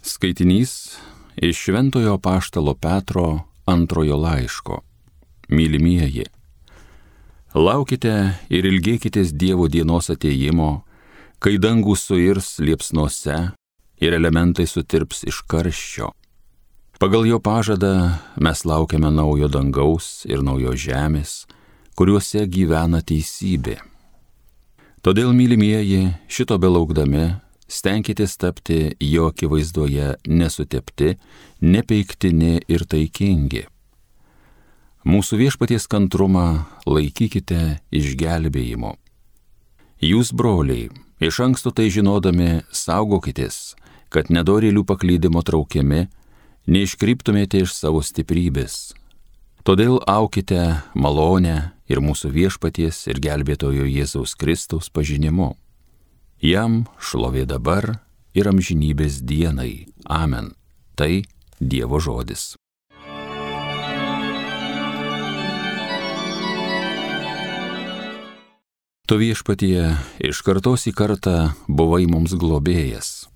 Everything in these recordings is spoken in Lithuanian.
Skaitinys iš Šventojo Apaštalo Petro antrojo laiško. Mylimieji, laukite ir ilgėkitės Dievo dienos atėjimo, kai dangus suirs liepsnose ir elementai sutirps iš karščio. Pagal jo pažadą mes laukiame naujo dangaus ir naujos žemės, kuriuose gyvena teisybė. Todėl, mylimieji, šito belaukdami, stenkitės tapti jo akivaizdoje nesutepti, nepeiktini ir taikingi. Mūsų viešpaties kantrumą laikykite išgelbėjimo. Jūs, broliai, iš anksto tai žinodami saugokitės, kad nedorėlių paklydimo traukiami, neiškryptumėte iš savo stiprybės. Todėl aukite malonę ir mūsų viešpaties ir gelbėtojo Jėzaus Kristaus pažinimu. Jam šlovė dabar ir amžinybės dienai. Amen. Tai Dievo žodis. Tu, viešpatie, iš kartos į kartą buvai mums globėjas.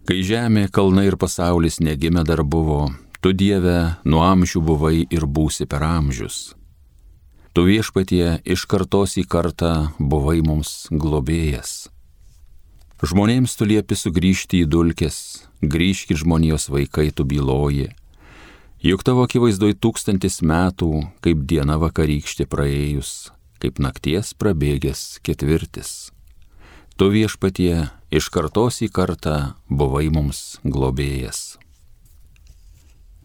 Kai žemė, kalnai ir pasaulis negimę dar buvo, tu, Dieve, nuo amžių buvai ir būsi per amžius. Tu, viešpatie, iš kartos į kartą buvai mums globėjas. Žmonėms tu liepi sugrįžti į dulkes, grįžkit žmonijos vaikai, tu byloji. Juk tavo akivaizdoj 1000 metų, kaip diena vakarykštė praėjus, kaip nakties prabėgęs 4. Tu, viešpatie, iš kartos į kartą buvai mums globėjas.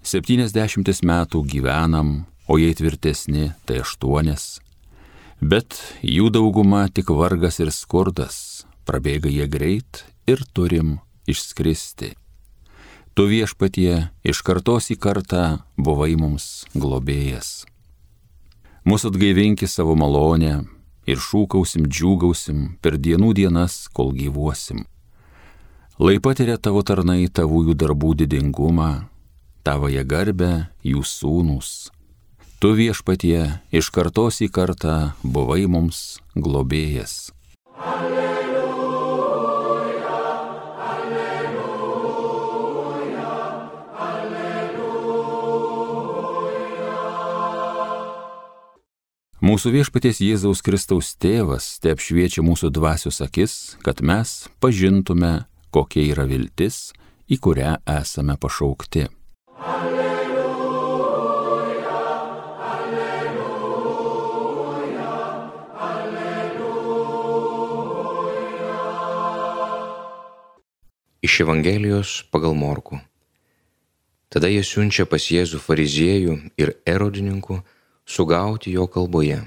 70 metų gyvenam, o jei tvirtesni, tai 8, bet jų dauguma tik vargas ir skurdas, prabėga jie greit ir turim išskristi. Tu, viešpatie, iš kartos į kartą buvai mums globėjas. Mūsų atgaivinki savo malonę ir šūkausim, džiūgausim per dienų dienas, kol gyvuosim. Lai patiria tavo tarnai tavųjų darbų didingumą, tavąją garbę jų sūnūs. Tu, viešpatie, iš kartos į kartą buvai mums globėjas. Alleluja, alleluja, alleluja. Mūsų viešpaties Jėzaus Kristaus tėvas te apšviečia mūsų dvasios akis, kad mes pažintume, kokia yra viltis, į kurią esame pašaukti. Iš Evangelijos pagal Morkų. Tada jie siunčia pas Jėzų fariziejų ir erodininkų sugauti jo kalboje.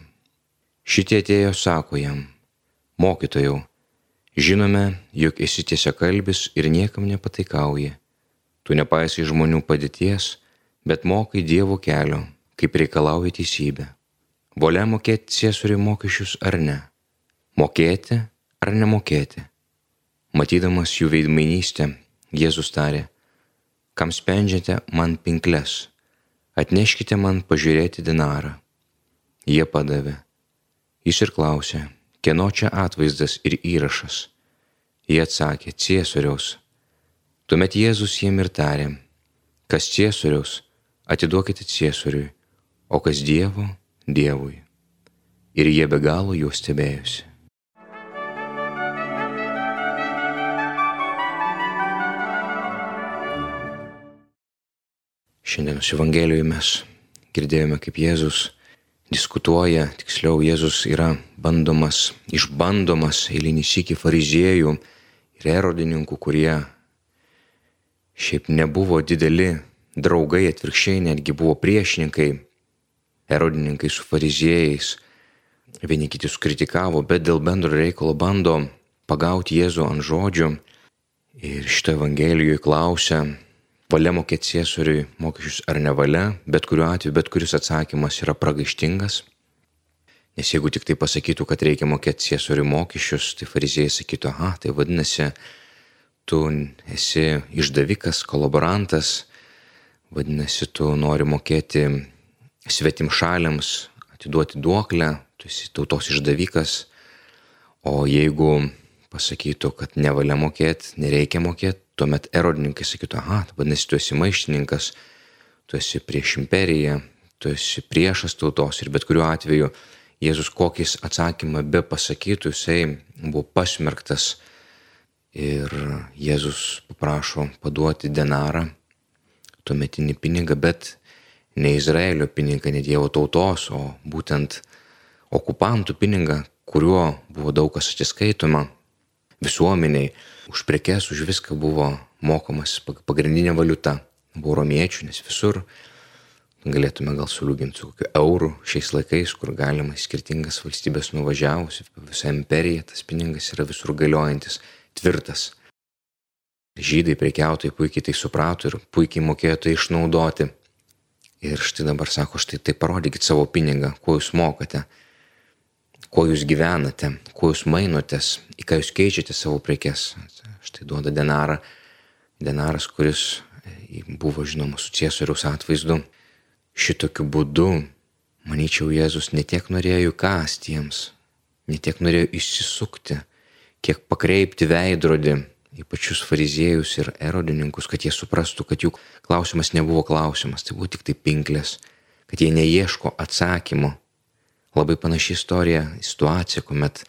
Šitie atėjo sako jam: Mokytojau, žinome, jog esi tiesiakalbis ir niekam nepataikauji. Tu nepaisai žmonių padėties, bet mokai Dievo kelio, kaip reikalauja teisybė. Valia mokėti Ciesoriui mokesčius ar ne? Mokėti ar nemokėti? Matydamas jų veidmainystę, Jėzus tarė: Kam spendžiate man pinkles? Atneškite man pažiūrėti dinarą. Jie padavė. Jis ir klausė: Kieno čia atvaizdas ir įrašas? Jie atsakė: Ciesoriaus. Tuomet Jėzus jiem ir tarė: Kas Ciesoriaus, atiduokite Ciesoriui, o kas Dievo, Dievui. Ir jie be galo juo stebėjosi. Šiandienos Evangelijoje mes girdėjome, kaip Jėzus diskutuoja, tiksliau Jėzus yra išbandomas eilinį sykį fariziejų ir erodininkų, kurie šiaip nebuvo dideli draugai, atvirkščiai netgi buvo priešininkai. Erodininkai su fariziejais vieni kitus kritikavo, bet dėl bendro reikalo bando pagauti Jėzų ant žodžių. Ir šito Evangelijoje klausia: Valia mokėti Ciesoriui mokesčius ar nevalia? Bet kuriuo atveju, bet kuris atsakymas yra pragaištingas. Nes jeigu tik tai pasakytų, kad reikia mokėti Ciesoriui mokesčius, tai fariziejai sakytų: aha, tai vadinasi, tu esi išdavikas, kolaborantas, vadinasi, tu nori mokėti svetimšaliams, atiduoti duoklę, tu esi tautos išdavikas. O jeigu pasakytų, kad nevalia mokėti, nereikia mokėti, tuomet erodininkai sakytų, aha, vadinasi, tu esi maištininkas, tu esi prieš imperiją, tu esi priešas tautos ir bet kuriuo atveju Jėzus kokis atsakymą be pasakytų, jisai buvo pasmerktas ir Jėzus paprašo paduoti denarą, tuometinį pinigą, bet ne Izraelio pinigą, ne Dievo tautos, o būtent okupantų pinigą, kuriuo buvo daug kas atsiskaitoma visuomeniai, už prekes, už viską buvo mokamas pagrindinė valiuta, buvo romiečių, nes visur galėtume gal suliūginti su kokiu euru šiais laikais, kur galima į skirtingas valstybės nuvažiavus, visą imperiją, tas pinigas yra visur galiojantis, tvirtas. Žydai prekiautojai puikiai tai suprato ir puikiai mokėjo tai išnaudoti. Ir štai dabar sako, štai tai parodykit savo pinigą, kuo jūs mokate, kuo jūs gyvenate, kuo jūs mainotės, į ką jūs keičiate savo prekes. Štai duoda denarą, denaras, kuris buvo žinoma su Ciesoriaus atvaizdu. Šitokiu būdu, manyčiau, Jėzus ne tiek norėjo jų kąsti jiems, ne tiek norėjo išsisukti, kiek pakreipti veidrodį į pačius fariziejus ir erodininkus, kad jie suprastų, kad jų klausimas nebuvo klausimas, tai buvo tik tai pinklės, kad jie neieško atsakymo. Labai panaši istorija, situacija, kuomet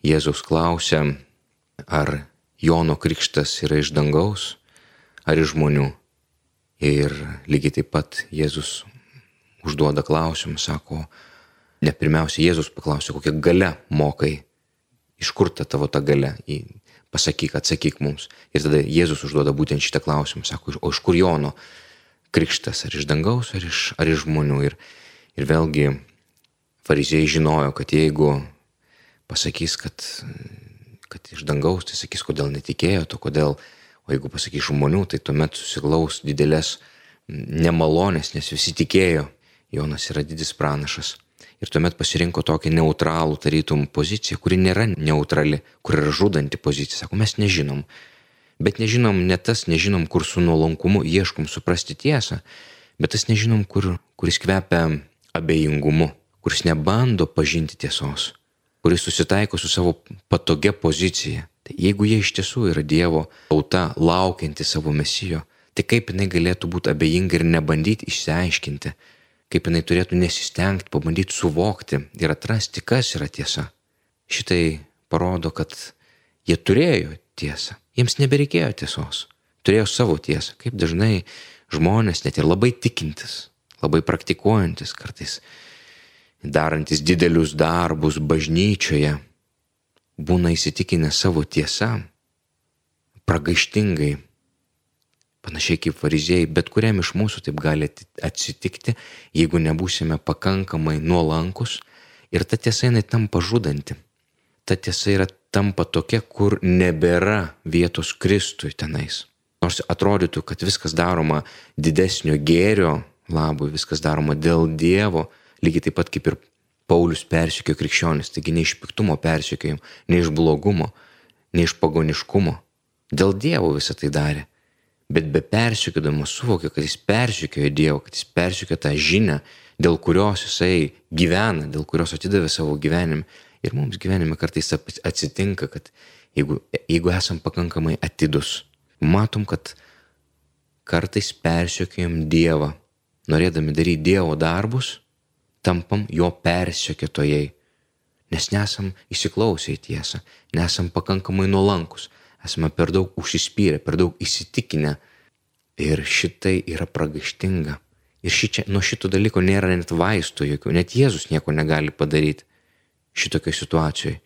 Jėzaus klausia, ar Jono krikštas yra iš dangaus, ar iš žmonių. Ir lygiai taip pat Jėzus užduoda klausimą, sako, ne pirmiausia Jėzus paklausė, kokią galę mokai, iš kur ta tavo ta galia, pasakyk, atsakyk mums. Ir tada Jėzus užduoda būtent šitą klausimą, sako, o iš kur Jono krikštas, ar iš dangaus, ar iš žmonių. Ir vėlgi fariziejai žinojo, kad jeigu pasakys, kad iš dangaus, tai sakys, kodėl netikėjo, to kodėl. O jeigu pasakys žmonių, tai tuomet susiglaus didelės nemalonės, nes visi tikėjo, Jonas yra didis pranašas. Ir tuomet pasirinko tokį neutralų tarytum poziciją, kuri nėra neutrali, kur yra žudanti pozicija. Sako, mes nežinom. Bet nežinom ne tas, nežinom, kur su nuolankumu ieškom suprasti tiesą, bet tas nežinom, kuris kvepia abejingumu, kuris nebando pažinti tiesos, kuris susitaiko su savo patogia pozicija. Tai jeigu jie iš tiesų yra Dievo tauta, laukianti savo mesijo, tai kaip jinai galėtų būti abejinga ir nebandyti išsiaiškinti, kaip jinai turėtų nesistengti, pabandyti suvokti ir atrasti, kas yra tiesa. Šitai parodo, kad jie turėjo tiesą, jiems nebereikėjo tiesos, turėjo savo tiesą, kaip dažnai žmonės, net ir labai tikintis, labai praktikuojantis, kartais darantis didelius darbus bažnyčioje, būna įsitikinę savo tiesą, pragaištingai, panašiai kaip fariziejai, bet kuriam iš mūsų taip gali atsitikti, jeigu nebūsime pakankamai nuolankus ir ta tiesa jinai tampa žudanti. Ta tiesa yra tampa tokia, kur nebėra vietos Kristui tenais. Nors atrodytų, kad viskas daroma didesnio gėrio labui, viskas daroma dėl Dievo, lygiai taip pat kaip ir Paulius persekiojo krikščionis, taigi ne iš piktumo persekiojimo, ne iš blogumo, ne iš pagoniškumo. Dėl Dievo visą tai darė. Bet be persekiodamas suvokė, kad jis persekiojo Dievo, kad jis persekiojo tą žinią, dėl kurios jisai gyvena, dėl kurios atidavė savo gyvenimą. Ir mums gyvenime kartais atsitinka, kad jeigu esam pakankamai atidus, matom, kad kartais persekiojam Dievą, norėdami daryti Dievo darbus, tampam jo persekiotojai, nes nesam įsiklausę į tiesą, nesam pakankamai nuolankus, esame per daug užsispyrę, per daug įsitikinę ir šitai yra pragaištinga. Ir nuo šito dalyko nėra net vaistų jokių, net Jėzus nieko negali padaryti šitokioj situacijoje.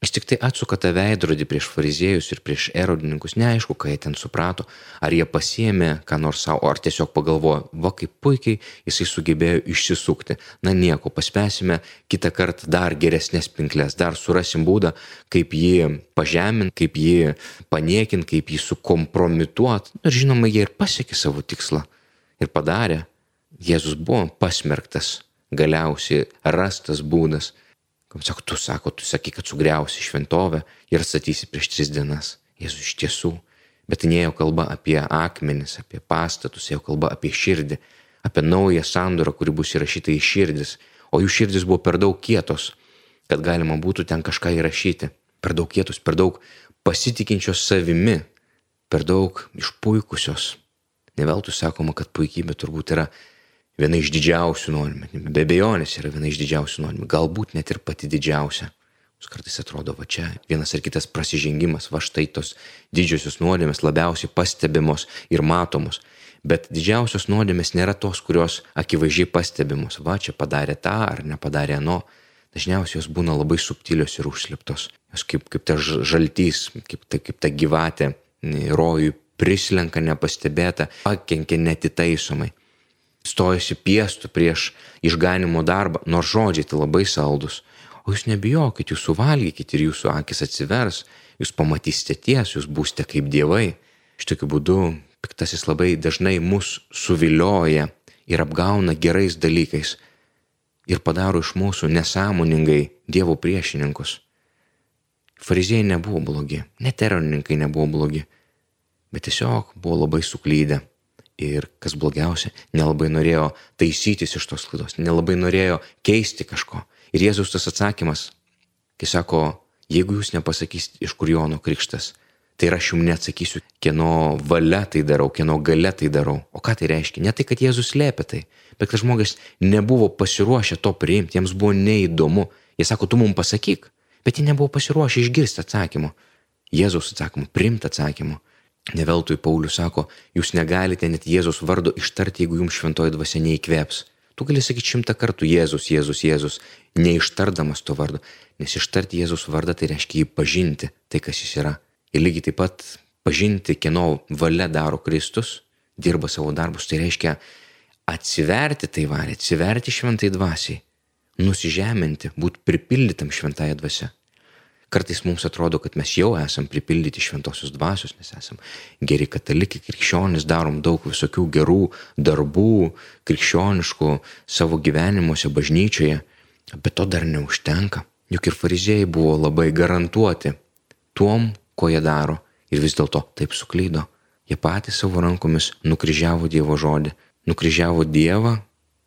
Jis tik tai atsuka tą veidrodį prieš fariziejus ir prieš erodininkus, neaišku, ką jie ten suprato, ar jie pasiėmė ką nors savo, ar tiesiog pagalvojo, va kaip puikiai jisai sugebėjo išsisukti. Na nieko, paspėsime kitą kartą dar geresnės pinklės, dar surasim būdą, kaip jį pažemint, kaip jį paniekint, kaip jį sukompromituot. Ir žinoma, jie ir pasiekė savo tikslą ir padarė. Jėzus buvo pasmerktas, galiausiai rastas būdas. Kaip sako, tu sakai, kad sugriausi šventovę ir atstatysi prieš 3 dienas. Jėzus iš tiesų. Bet nėjo kalba apie akmenis, apie pastatus, ėjo kalba apie širdį, apie naują sandorą, kuri bus įrašyta į širdis. O jų širdis buvo per daug kietos, kad galima būtų ten kažką įrašyti. Per daug kietos, per daug pasitikinčios savimi. per daug išpuikusios. Ne veltui sakoma, kad puikybė turbūt yra viena iš didžiausių nuodėmių. Be abejonės yra viena iš didžiausių nuodėmių. Galbūt net ir pati didžiausia. Mums kartais atrodo, va čia vienas ar kitas prasižengimas, va štai tos didžiosios nuodėmės labiausiai pastebimos ir matomos. Bet didžiausios nuodėmės nėra tos, kurios akivaizdžiai pastebimos. Va čia padarė tą ar nepadarė ano. Dažniausiai jos būna labai subtilios ir užslėptos. Jos kaip ta žaltys, kaip ta gyvatė rojui prislenka nepastebėta, pakenkia netitaisomai. Stojasi piestu prieš išganimo darbą, nors žodžiai tai labai saldus. O jūs nebijokit, jūs suvalgykit ir jūsų akis atsivers, jūs pamatysite tiesą, jūs būsite kaip dievai. Šitokiu būdu piktasis labai dažnai mus suvilioja ir apgauna gerais dalykais ir padaro iš mūsų nesąmoningai Dievo priešininkus. Fariziejai nebuvo blogi, net eronininkai nebuvo blogi, bet tiesiog buvo labai suklydę. Ir kas blogiausia, nelabai norėjo taisytis iš tos klaidos, nelabai norėjo keisti kažko. Ir Jėzus tas atsakymas, kai sako, jeigu jūs nepasakysit, iš kur Jono krikštas, tai ir aš jums neatsakysiu, kieno valia tai darau, kieno galia tai darau. O ką tai reiškia? Ne tai, kad Jėzus slėpė tai, bet kad žmogus nebuvo pasiruošę to priimti, jiems buvo neįdomu. Jie sako, tu mums pasakyk, bet jie nebuvo pasiruošę išgirsti atsakymą. Jėzaus atsakymą, priimti atsakymą. Ne veltui Paulius sako, jūs negalite net Jėzus vardo ištarti, jeigu jums šventoji dvasia neįkvėps. Tu gali sakyti 100 kartų Jėzus, Jėzus, Jėzus, neištardamas to vardo, nes ištarti Jėzus vardą tai reiškia jį pažinti, tai kas jis yra. Ir lygiai taip pat pažinti, kieno valia daro Kristus, dirba savo darbus, tai reiškia atsiverti tai valiai, atsiverti šventai dvasiai, nusižeminti, būti pripildytam šventąją dvasią. Kartais mums atrodo, kad mes jau esam pripildyti šventosios dvasios, nes esam geri katalikai, krikščionys, darom daug visokių gerų darbų, krikščioniškų savo gyvenimuose, bažnyčioje, bet to dar neužtenka. Juk ir fariziejai buvo labai garantuoti tuom, ko jie daro, ir vis dėlto taip suklydo. Jie patys savo rankomis nukryžiavo Dievo žodį, nukryžiavo Dievą,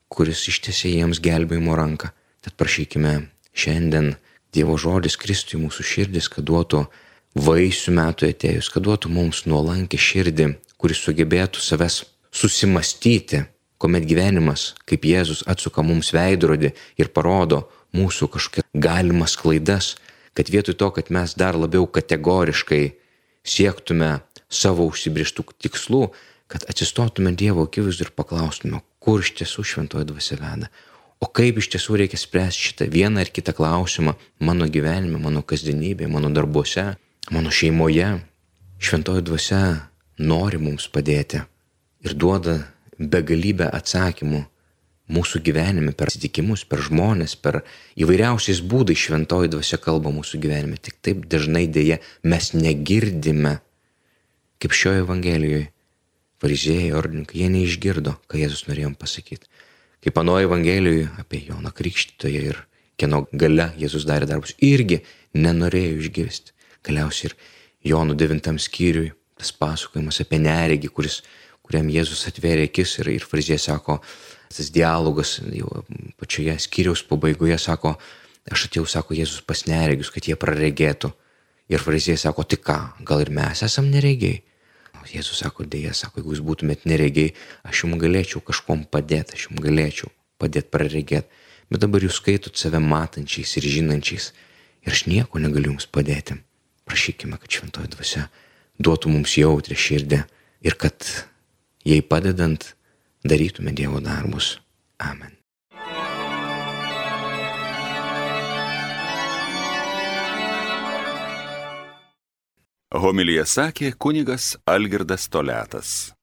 kuris ištiesė jiems gelbėjimo ranką. Tad prašykime šiandien Dievo žodis Kristui mūsų širdis, kad duotų vaisių metų atėjus, kad duotų mums nuolankę širdį, kuris sugebėtų savęs susimastyti, kuomet gyvenimas, kaip Jėzus atsuka mums veidrodį ir parodo mūsų kažkokias galimas klaidas, kad vietoj to, kad mes dar labiau kategoriškai siektume savo užsibrėžtų tikslų, kad atsistotume Dievo akivaizdoj ir paklaustume, kur iš tiesų šventoji dvasia veda. O kaip iš tiesų reikia spręsti šitą vieną ar kitą klausimą mano gyvenime, mano kasdienybėje, mano darbuose, mano šeimoje. Šventoji dvasia nori mums padėti ir duoda begalybę atsakymų mūsų gyvenime, per atsitikimus, per žmonės, per įvairiausiais būdais šventoji dvasia kalba mūsų gyvenime. Tik taip dažnai dėja mes negirdime, kaip šioje Evangelijoje fariziejai, ordininkai, jie neišgirdo, ką Jėzus norėjo pasakyti. Kaip anoje Evangelijoje apie Joną Krikštytoją ir kieno galia Jėzus darė darbus, irgi nenorėjo išgirsti. Galiausiai ir Jono 9 skyriui tas pasakojimas apie neregį, kuriam Jėzus atvėrė akis ir fariziejai sako, tas dialogas jau pačioje skyriaus pabaigoje sako, aš atėjau, sako Jėzus pas neregius, kad jie praregėtų. Ir fariziejai sako, tai ką, gal ir mes esam neregiai? Jėzus sako, dėja, sako, jeigu jūs būtumėt neregiai, aš jums galėčiau kažkom padėti, aš jums galėčiau padėti praregėti, bet dabar jūs skaitot save matančiais ir žinančiais ir aš nieko negaliu jums padėti. Prašykime, kad šventoji dvasia duotų mums jautrią širdį ir kad jai padedant darytume Dievo darbus. Amen. Homiliją sakė kunigas Algirdas Toliatas.